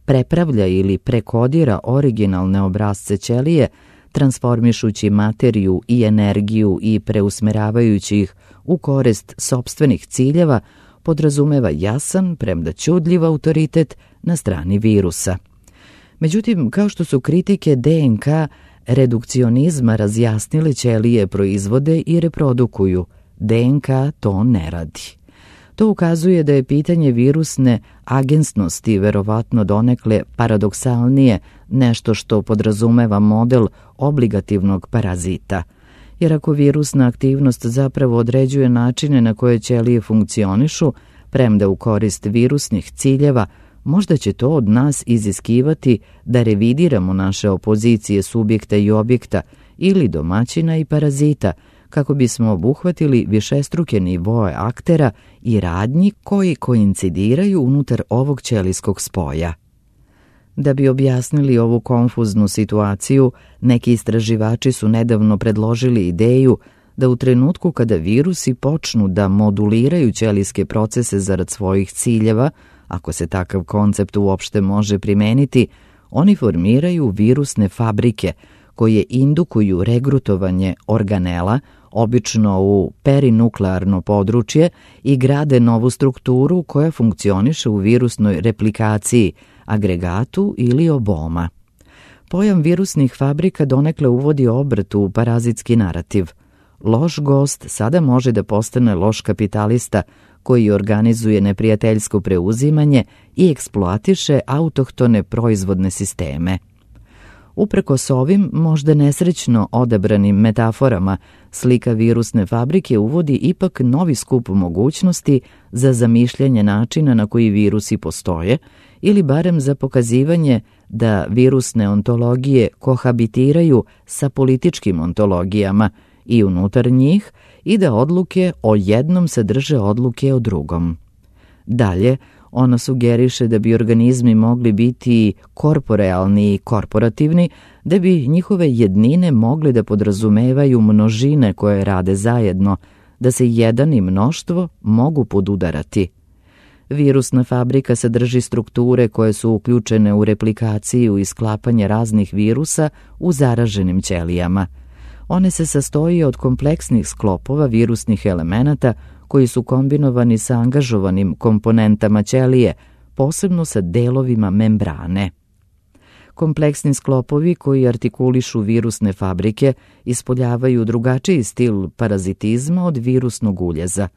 prepravlja ili prekodira originalne obrasce ćelije, transformišući materiju i energiju i preusmeravajući ih u korist sopstvenih ciljeva, podrazumeva jasan, premda ćudljiv autoritet na strani virusa. Međutim, kao što su kritike DNK redukcionizma razjasnile, ćelije proizvode i reprodukuju, DNK to ne radi. To ukazuje da je pitanje virusne agensnosti verovatno donekle paradoksalnije, nešto što podrazumeva model obligativnog parazita. Jer ako virusna aktivnost zapravo određuje načine na koje ćelije funkcionišu, premda u korist virusnih ciljeva, možda će to od nas iziskivati da revidiramo naše opozicije subjekta i objekta ili domaćina i parazita, kako bismo obuhvatili višestruke nivoe aktera i radnji koji koincidiraju unutar ovog ćelijskog spoja. Da bi objasnili ovu konfuznu situaciju, neki istraživači su nedavno predložili ideju da u trenutku kada virusi počnu da moduliraju ćelijske procese zarad svojih ciljeva, ako se takav koncept uopšte može primeniti, oni formiraju virusne fabrike koje indukuju regrutovanje organela, obično u perinuklearno područje, i grade novu strukturu koja funkcioniše u virusnoj replikaciji, agregatu ili oboma. Pojam virusnih fabrika donekle uvodi obrt u parazitski narativ. Loš gost sada može da postane loš kapitalista koji organizuje neprijateljsko preuzimanje i eksploatiše autohtone proizvodne sisteme. Uprkos ovim, možda nesrećno odabranim metaforama, slika virusne fabrike uvodi ipak novi skup mogućnosti za zamišljanje načina na koji virusi postoje, ili barem za pokazivanje da virusne ontologije kohabitiraju sa političkim ontologijama i unutar njih, i da odluke o jednom sadrže odluke o drugom. Dalje, ona sugeriše da bi organizmi mogli biti korporealni i korporativni, da bi njihove jednine mogle da podrazumevaju množine koje rade zajedno, da se jedan i mnoštvo mogu podudarati. Virusna fabrika sadrži strukture koje su uključene u replikaciju i sklapanje raznih virusa u zaraženim ćelijama. One se sastoji od kompleksnih sklopova virusnih elemenata koji su kombinovani sa angažovanim komponentama ćelije, posebno sa delovima membrane. kompleksni sklopovi koji artikulišu virusne fabrike ispoljavaju drugačiji stil parazitizma od virusnog uljeza,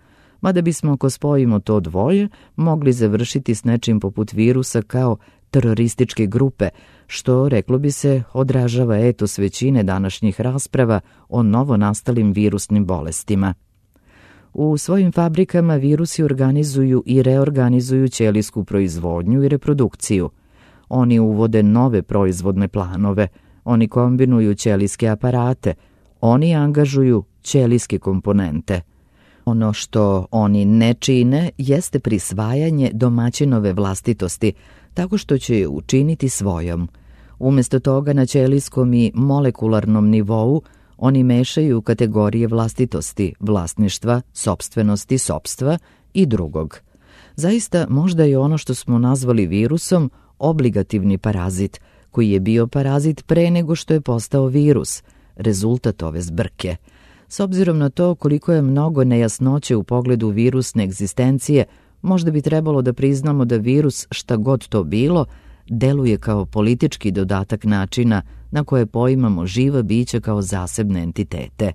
mada bismo ako spojimo to dvoje mogli završiti s nečim poput virusa kao terorističke grupe, što, reklo bi se, odražava etos većine današnjih rasprava o novonastalim virusnim bolestima. U svojim fabrikama virusi organizuju i reorganizuju ćelijsku proizvodnju i reprodukciju. Oni uvode nove proizvodne planove, oni kombinuju ćelijske aparate, oni angažuju ćelijske komponente. Ono što oni ne čine jeste prisvajanje domaćinove vlastitosti, tako što će je učiniti svojom. Umjesto toga na ćelijskom i molekularnom nivou oni mešaju kategorije vlastitosti, vlasništva, sopstvenosti, sopstva i drugog. Zaista, možda je ono što smo nazvali virusom obligativni parazit, koji je bio parazit pre nego što je postao virus, rezultat ove zbrke. S obzirom na to koliko je mnogo nejasnoće u pogledu virusne egzistencije, možda bi trebalo da priznamo da virus, šta god to bilo, deluje kao politički dodatak načina na koje poimamo živa bića kao zasebne entitete.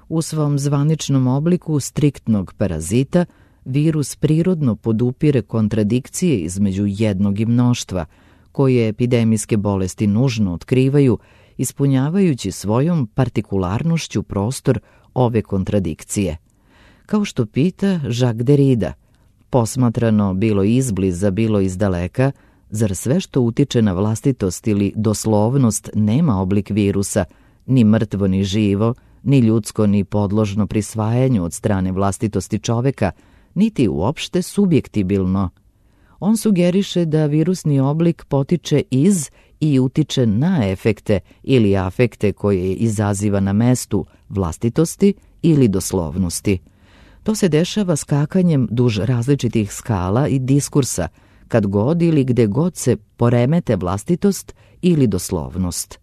U svom zvaničnom obliku striktnog parazita, virus prirodno podupire kontradikcije između jednog i mnoštva, koje epidemijske bolesti nužno otkrivaju, ispunjavajući svojom partikularnošću prostor ove kontradikcije. Kao što pita Jacques Derrida, posmatrano bilo izbliza, bilo izdaleka, zar sve što utiče na vlastitost ili doslovnost nema oblik virusa, ni mrtvo ni živo, ni ljudsko ni podložno prisvajanju od strane vlastitosti čoveka, niti uopšte subjektibilno? On sugeriše da virusni oblik potiče iz i utiče na efekte ili afekte koje izaziva na mestu vlastitosti ili doslovnosti. To se dešava skakanjem duž različitih skala i diskursa, kad god ili gde god se poremete vlastitost ili doslovnost.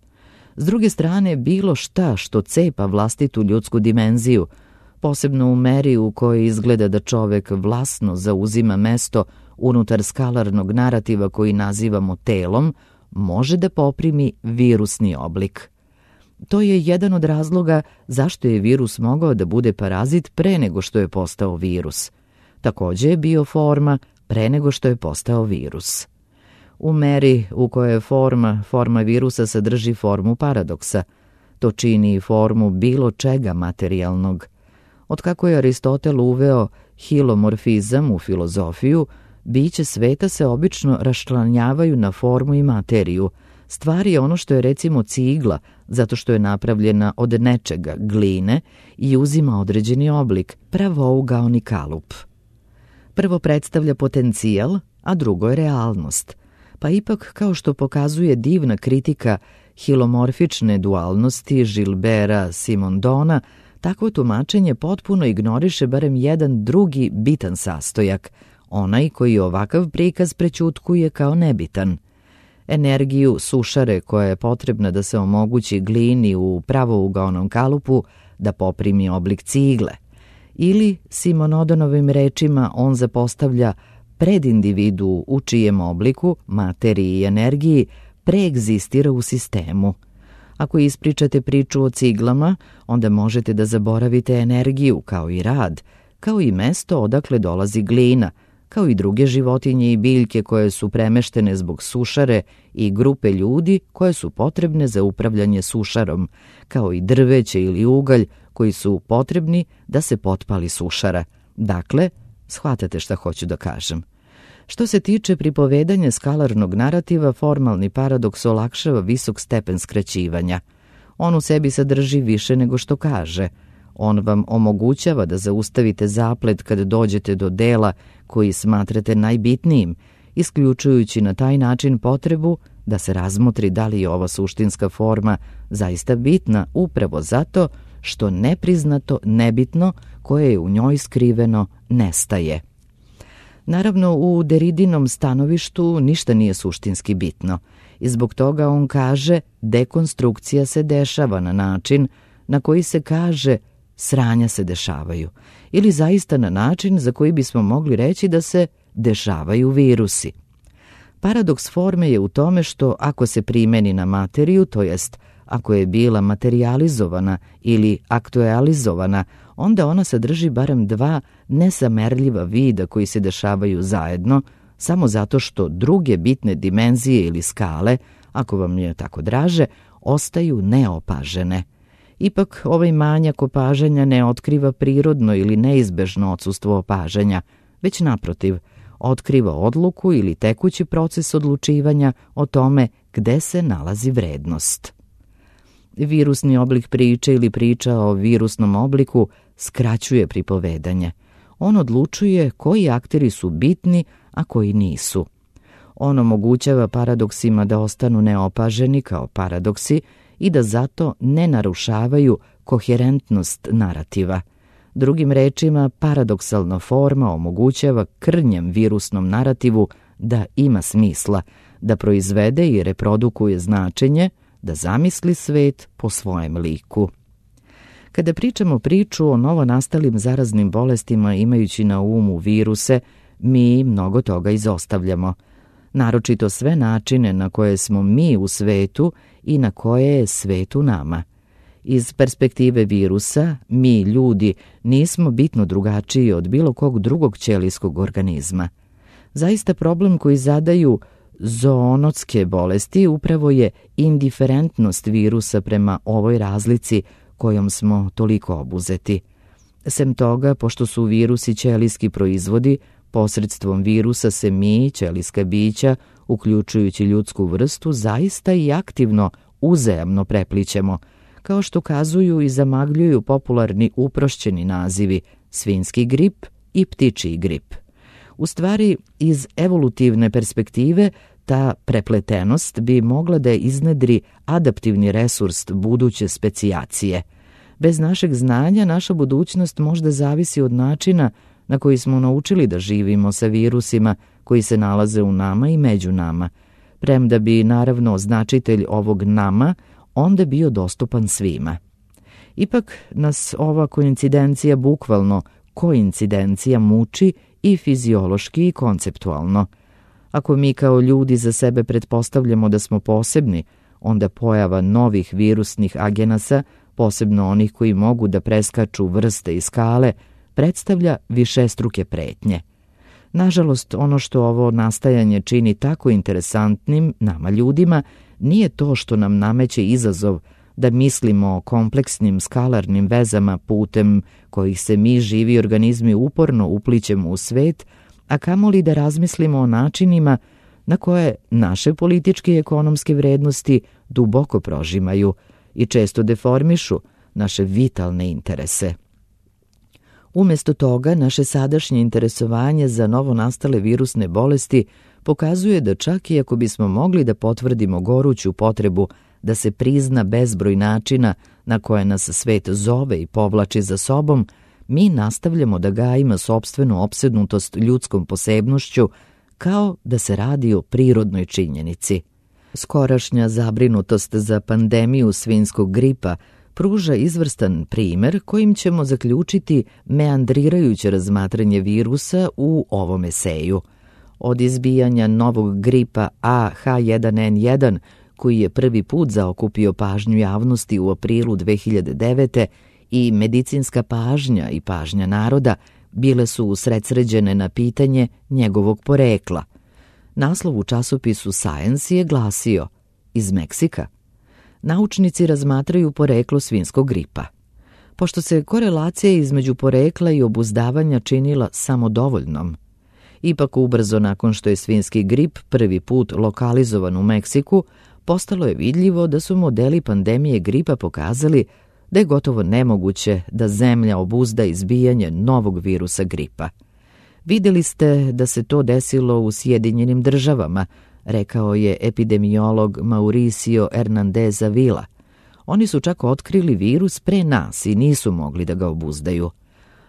S druge strane, bilo šta što cepa vlastitu ljudsku dimenziju, posebno u meri u kojoj izgleda da čovek vlasno zauzima mesto unutar skalarnog narativa koji nazivamo telom, može da poprimi virusni oblik. To je jedan od razloga zašto je virus mogao da bude parazit pre nego što je postao virus. Takođe je bio forma pre nego što je postao virus. U meri u kojoj forma virusa sadrži formu paradoksa, to čini i formu bilo čega materijalnog. Otkako je Aristotel uveo hilomorfizam u filozofiju, biće sveta se obično raščlanjavaju na formu i materiju. Stvar je ono što je recimo cigla, zato što je napravljena od nečega, gline, i uzima određeni oblik, pravougaoni kalup. Prvo predstavlja potencijal, a drugo je realnost. Pa ipak, kao što pokazuje divna kritika hilomorfične dualnosti Gilberta Simondona, takvo tumačenje potpuno ignoriše barem jedan drugi bitan sastojak, onaj koji ovakav prikaz prećutkuje kao nebitan. Energiju sušare koja je potrebna da se omogući glini u pravougaonom kalupu da poprimi oblik cigle. Ili, Simonodonovim rečima, on zapostavlja predindividu u čijem obliku, materiji i energiji preegzistira u sistemu. Ako ispričate priču o ciglama, onda možete da zaboravite energiju kao i rad, kao i mesto odakle dolazi glina, kao i druge životinje i biljke koje su premeštene zbog sušare i grupe ljudi koje su potrebne za upravljanje sušarom, kao i drveće ili ugalj koji su potrebni da se potpali sušara. Dakle, shvatate šta hoću da kažem. Što se tiče pripovedanja skalarnog narativa, formalni paradoks olakšava visok stepen skraćivanja. On u sebi sadrži više nego što kaže. On vam omogućava da zaustavite zaplet kad dođete do dela koji smatrate najbitnijim, isključujući na taj način potrebu da se razmotri da li je ova suštinska forma zaista bitna upravo zato što nepriznato nebitno koje je u njoj skriveno nestaje. Naravno, u Derridinom stanovištu ništa nije suštinski bitno i zbog toga on kaže dekonstrukcija se dešava na način na koji se kaže sranja se dešavaju, ili zaista na način za koji bismo mogli reći da se dešavaju virusi. Paradoks forme je u tome što ako se primeni na materiju, to jest ako je bila materijalizovana ili aktualizovana, onda ona sadrži barem dva nesamerljiva vida koji se dešavaju zajedno, samo zato što druge bitne dimenzije ili skale, ako vam je tako draže, ostaju neopažene. Ipak ovaj manjak opažanja ne otkriva prirodno ili neizbežno odsustvo opažanja, već naprotiv, otkriva odluku ili tekući proces odlučivanja o tome gde se nalazi vrednost. Virusni oblik priče ili priča o virusnom obliku skraćuje pripovedanje. On odlučuje koji akteri su bitni, a koji nisu. On omogućava paradoksima da ostanu neopaženi kao paradoksi i da zato ne narušavaju koherentnost narativa. Drugim rečima, paradoksalna forma omogućava krnjem virusnom narativu da ima smisla, da proizvede i reprodukuje značenje, da zamisli svet po svojem liku. Kada pričamo priču o novonastalim zaraznim bolestima imajući na umu viruse, mi mnogo toga izostavljamo. Naročito sve načine na koje smo mi u svetu i na koje je svet u nama. Iz perspektive virusa, mi ljudi nismo bitno drugačiji od bilo kog drugog ćelijskog organizma. Zaista problem koji zadaju zoonotske bolesti upravo je indiferentnost virusa prema ovoj razlici kojom smo toliko obuzeti. Sem toga, pošto su virusi ćelijski proizvodi, posredstvom virusa se mi, ćelijska bića, uključujući ljudsku vrstu, zaista i aktivno uzajamno preplićemo, kao što kazuju i zamagljuju popularni uprošćeni nazivi svinjski grip i ptičji grip. U stvari, iz evolutivne perspektive, ta prepletenost bi mogla da iznedri adaptivni resurs buduće specijacije. Bez našeg znanja, naša budućnost možda zavisi od načina na koji smo naučili da živimo sa virusima koji se nalaze u nama i među nama, premda bi naravno značitelj ovog nama onda bio dostupan svima. Ipak nas ova koincidencija, bukvalno koincidencija, muči i fiziološki i konceptualno. Ako mi kao ljudi za sebe pretpostavljamo da smo posebni, onda pojava novih virusnih agenasa, posebno onih koji mogu da preskaču vrste i skale, predstavlja višestruke pretnje. Nažalost, ono što ovo nastajanje čini tako interesantnim nama ljudima nije to što nam nameće izazov da mislimo o kompleksnim skalarnim vezama putem kojih se mi živi organizmi uporno uplićemo u svet, a kamoli da razmislimo o načinima na koje naše političke i ekonomske vrednosti duboko prožimaju i često deformišu naše vitalne interese. Umesto toga, naše sadašnje interesovanje za novonastale virusne bolesti pokazuje da čak i ako bismo mogli da potvrdimo goruću potrebu da se prizna bezbroj načina na koje nas svet zove i povlači za sobom, mi nastavljamo da gajimo sopstvenu opsednutost ljudskom posebnošću kao da se radi o prirodnoj činjenici. Skorašnja zabrinutost za pandemiju svinjskog gripa pruža izvrstan primer kojim ćemo zaključiti meandrirajuće razmatranje virusa u ovom eseju. Od izbijanja novog gripa H1N1, koji je prvi put zaokupio pažnju javnosti u aprilu 2009. i medicinska pažnja i pažnja naroda bile su usredsređene na pitanje njegovog porekla. Naslov u časopisu Science je glasio: iz Meksika. Naučnici razmatraju poreklo svinjskog gripa. Pošto se korelacija između porekla i obuzdavanja činila samodovoljnom, ipak ubrzo nakon što je svinjski grip prvi put lokalizovan u Meksiku, postalo je vidljivo da su modeli pandemije gripa pokazali da je gotovo nemoguće da zemlja obuzda izbijanje novog virusa gripa. Videli ste da se to desilo u Sjedinjenim Državama, rekao je epidemiolog Mauricio Hernandez Avila. Oni su čak otkrili virus pre nas i nisu mogli da ga obuzdaju.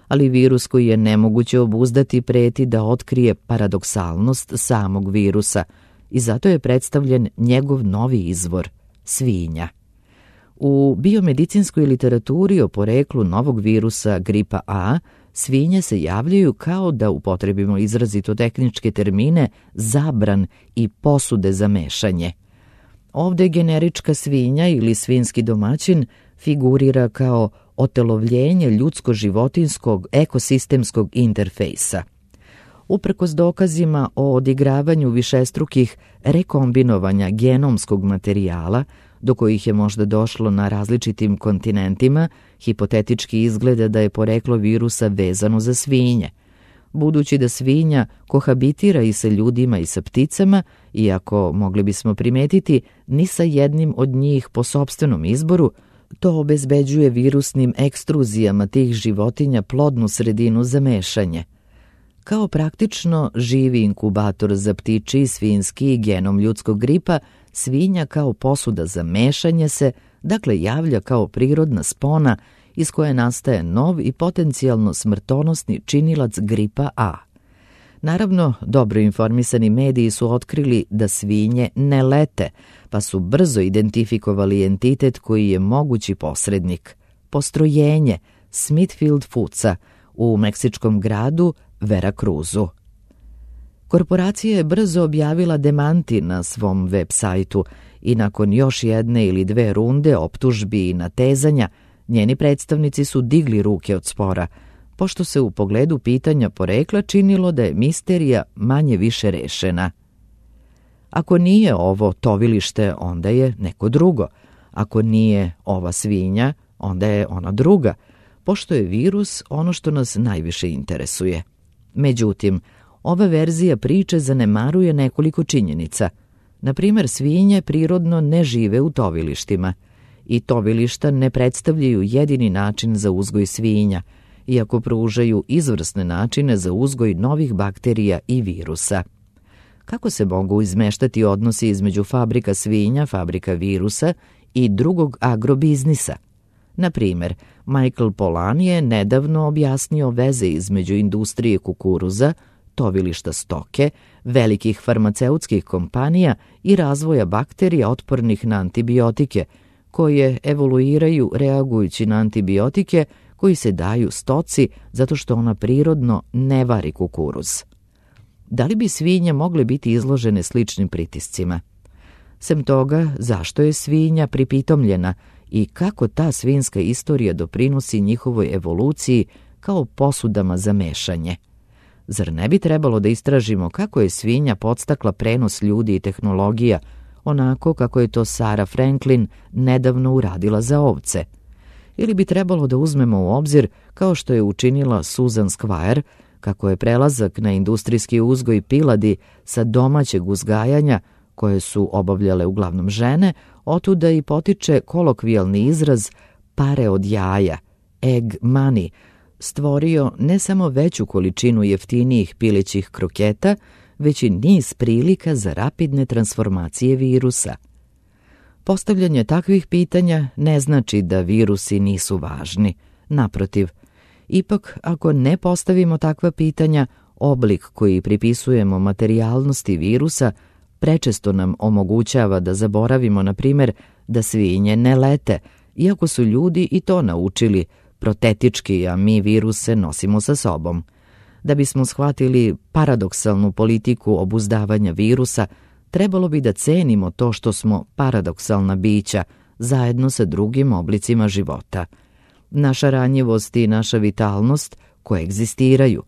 Ali virus koji je nemoguće obuzdati preti da otkrije paradoksalnost samog virusa i zato je predstavljen njegov novi izvor, svinja. U biomedicinskoj literaturi o poreklu novog virusa gripa A svinje se javljaju, kao da upotrebimo izrazito tehničke termine, zabran i posude za mešanje. Ovde generička svinja ili svinski domaćin figurira kao otelovljenje ljudsko-životinskog ekosistemskog interfejsa. Uprkos dokazima o odigravanju višestrukih rekombinovanja genomskog materijala, do kojih je možda došlo na različitim kontinentima, hipotetički izgleda da je poreklo virusa vezano za svinje. Budući da svinja kohabitira i sa ljudima i sa pticama, iako mogli bismo primetiti ni sa jednim od njih po sopstvenom izboru, to obezbeđuje virusnim ekstruzijama tih životinja plodnu sredinu za mešanje. Kao praktično živi inkubator za ptičji, svinjski i genom ljudskog gripa, svinja kao posuda za mešanje se, dakle, javlja kao prirodna spona iz koje nastaje nov i potencijalno smrtonosni činilac gripa A. Naravno, dobro informisani mediji su otkrili da svinje ne lete, pa su brzo identifikovali entitet koji je mogući posrednik. Postrojenje Smithfield Foodsa u meksičkom gradu Veracruzu. Korporacija je brzo objavila demanti na svom web sajtu i nakon još jedne ili dve runde optužbi i natezanja, njeni predstavnici su digli ruke od spora, pošto se u pogledu pitanja porekla činilo da je misterija manje više rešena. Ako nije ovo tovilište, onda je neko drugo. Ako nije ova svinja, onda je ona druga, pošto je virus ono što nas najviše interesuje. Međutim, ova verzija priče zanemaruje nekoliko činjenica. Na primer, svinje prirodno ne žive u tovilištima i tovilišta ne predstavljaju jedini način za uzgoj svinja, iako pružaju izvrsne načine za uzgoj novih bakterija i virusa. Kako se mogu izmeštati odnosi između fabrika svinja, fabrika virusa i drugog agrobiznisa? Na primer, Michael Pollan je nedavno objasnio veze između industrije kukuruza, tovilišta stoke, velikih farmaceutskih kompanija i razvoja bakterija otpornih na antibiotike, koje evoluiraju reagujući na antibiotike koji se daju stoci zato što ona prirodno ne vari kukuruz. Da li bi svinje mogle biti izložene sličnim pritiscima? Sem toga, zašto je svinja pripitomljena i kako ta svinjska istorija doprinosi njihovoj evoluciji kao posudama za mešanje? Zar ne bi trebalo da istražimo kako je svinja podstakla prenos ljudi i tehnologija, onako kako je to Sarah Franklin nedavno uradila za ovce? Ili bi trebalo da uzmemo u obzir, kao što je učinila Susan Squire, kako je prelazak na industrijski uzgoj piladi sa domaćeg uzgajanja, koje su obavljale uglavnom žene, otuda i potiče kolokvijalni izraz pare od jaja, egg money, stvorio ne samo veću količinu jeftinijih pilećih kroketa, već i niz prilika za rapidne transformacije virusa. Postavljanje takvih pitanja ne znači da virusi nisu važni. Naprotiv, ipak ako ne postavimo takva pitanja, oblik koji pripisujemo materijalnosti virusa prečesto nam omogućava da zaboravimo, na primjer, da svinje ne lete, iako su ljudi i to naučili protetički, a mi viruse nosimo sa sobom. Da bismo shvatili paradoksalnu politiku obuzdavanja virusa, trebalo bi da cenimo to što smo paradoksalna bića zajedno sa drugim oblicima života. Naša ranjivost i naša vitalnost koegzistiraju.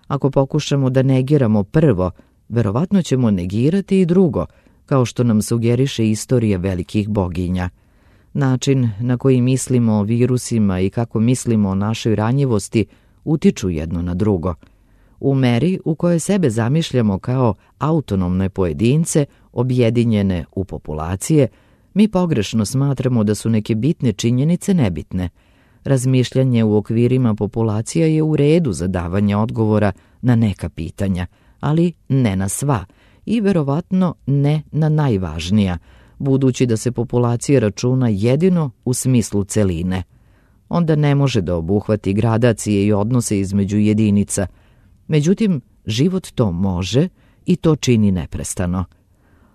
Ako pokušamo da negiramo prvo, verovatno ćemo negirati i drugo, kao što nam sugeriše istorija velikih boginja. Način na koji mislimo o virusima i kako mislimo o našoj ranjivosti utiču jedno na drugo. U meri u kojoj sebe zamišljamo kao autonomne pojedince, objedinjene u populacije, mi pogrešno smatramo da su neke bitne činjenice nebitne. Razmišljanje u okvirima populacija je u redu za davanje odgovora na neka pitanja, ali ne na sva i verovatno ne na najvažnija, budući da se populacija računa jedino u smislu celine. Onda ne može da obuhvati gradacije i odnose između jedinica. Međutim, život to može i to čini neprestano.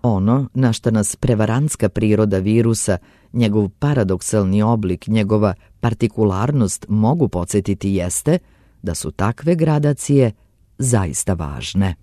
Ono na šta nas prevarantska priroda virusa, njegov paradoksalni oblik, njegova partikularnost mogu podsjetiti jeste da su takve gradacije zaista važne.